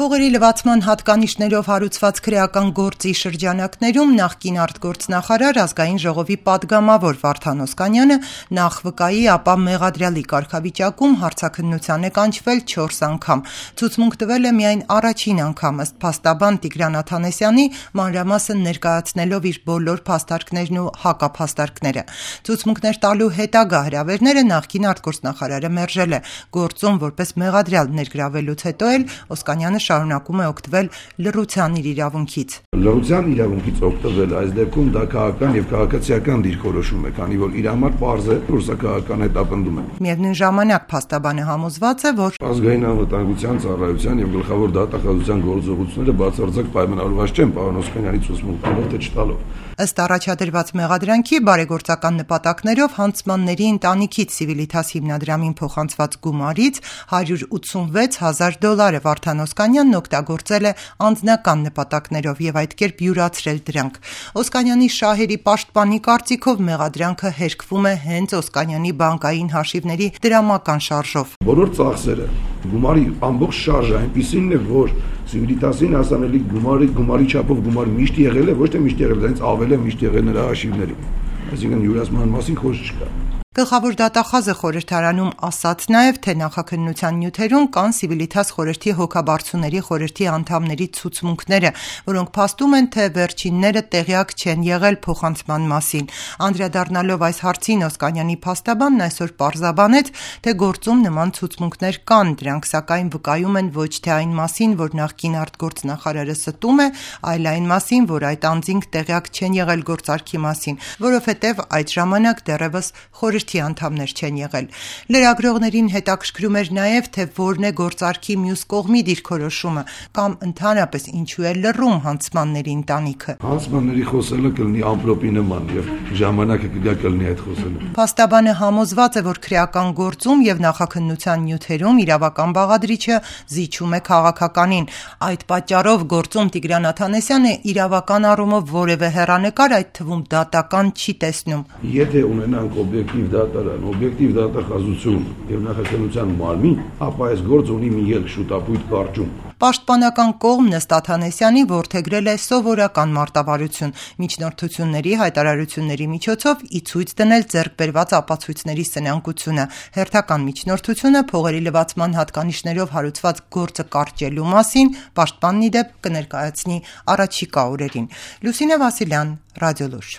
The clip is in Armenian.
Փողերի լվացման հատկանիշներով հարուցված քրեական գործի շրջանակներում նախկին արտգործնախարար ազգային ժողովի պատգամավոր Վարդան Օսկանյանը նախ վկայի, ապա մեղադրյալի կարգավիճակում հարցաքննության է կանչվել 4 անգամ։ Ցուցմունք տվել է միայն առաջին անգամ, ըստ փաստաբան Տիգրան Աթանեսյանի, մանրամասն ներկայացնելով իր բոլոր փաստարկներն ու հակափաստարկները։ Ցուցմունքներ տալու հետագա հրավերները նախկին արտգործնախարարը մերժել է։ Գործում որպես մեղադրյալ ներգրավելուց հետո էլ Օսկանյանը շարունակում է օգտվել լռության իր իրավունքից։ Լռության իրավունքից օգտվել այս դեպքում դա քաղաքական եւ քաղաքացիական դիրքորոշում է, քանի որ իր համար պարզ է, որ սա քաղաքական հետապնդում է։ Միևնույն ժամանակ փաստաբանը համոզված է, որ ազգային անվտանգության ծառայության եւ գլխավոր դատախազության գործողությունները բացարձակ պայմանավորված չեն պարոն Օսկանյանի ցուցմունքներով թե չտալով։ Ըստ առաջադրված մեղադրանքի բարեգործական նպատակներով հանցմանների ընտանիքից Civitas հիմնադրամին փոխանցված գումարից $186,000 Վարդան Օսկանյանն օգտագործել է անձնական նպատակներով եւ այդ կերպ յուրացրել դրանք։ Օսկանյանի շահերի պաշտպանի կարծիքով մեղադրանքը հերքվում է հենց Օսկանյանի բանկային հաշիվների դրամական շարժով։ Բոլոր ծախսերը, գումարի ամբողջ շարժը այնպիսին է, որ Civitas-ին հասանելի գումարի չափով գումար միշտ եղել է, ոչ թե միշտ եղել, այնց ավել է միշտ եղել նրա հաշիվներում։ Այսինքն յուրացման մասին խոսք չկա։ Գլխավոր դատախազը խորհրդարանում ասաց նաև, թե նախաքննության նյութերում կան Civitas խորհրդի հոգաբարձուների խորհրդի անդամների ցուցմունքները, որոնք փաստում են, թե վերջինները տեղյակ չեն եղել փոխանցման մասին։ Անդրադառնալով այս հարցին Օսկանյանի փաստաբանն այսօր պարզաբանեց, թե գործում նման ցուցմունքներ կան, դրանք սակայն վկայում են ոչ թե այն մասին, որ նախկին արտգործնախարարը ստում է, այլ այն մասին, որ այդ անձինք տեղյակ չեն եղել գործարքի մասին, որովհետև այդ ժամանակ դեռևս խորհրդի անդամներ չեն եղել։ Լրագրողներին հետաքրքրում էր նաև, թե որն է գործարքի մյուս կողմի դիրքորոշումը կամ ընդհանրապես ինչու է լռում հանցմանների ընտանիքը։ Հանցմանների խոսելը կլինի ամպրոպի նման եւ ժամանակը կգա կլինի այդ խոսելը։ Փաստաբանը համոզված է, որ քրեական գործում եւ նախաքննության նյութերում իրավական բաղադրիչը զիջում է քաղաքականին։ Այդ պատճառով գործում Տիգրան Աթանեսյանը իրավական առումով որևէ հեռանկար, այդ թվում դատական, չի տեսնում։ Եթե ունենանք օբյեկտիվ դատարան, օբյեկտիվ դատախազություն եւ նախաքննության մարմին, ապա այս գործը ունի մի ել շուտապույտ կարճում։ Պաշտպանական կողմն ըստ Աթանեսյանի որդեգրել է սովորական մարտավարություն, միջնորդությունների հայտարարությունների միջոցով ի ցույց դնել ձեռք բերված ապացույցների սնանկությունը։ Հերթական միջնորդությունը փողերի լվացման հատկանիշներով հարուցված գործը կարճելու մասին պաշտպանն ի դեպ կներկայացնի առաջիկա օրերին։ Լուսինե Վասիլյան, Ռադիոլուր։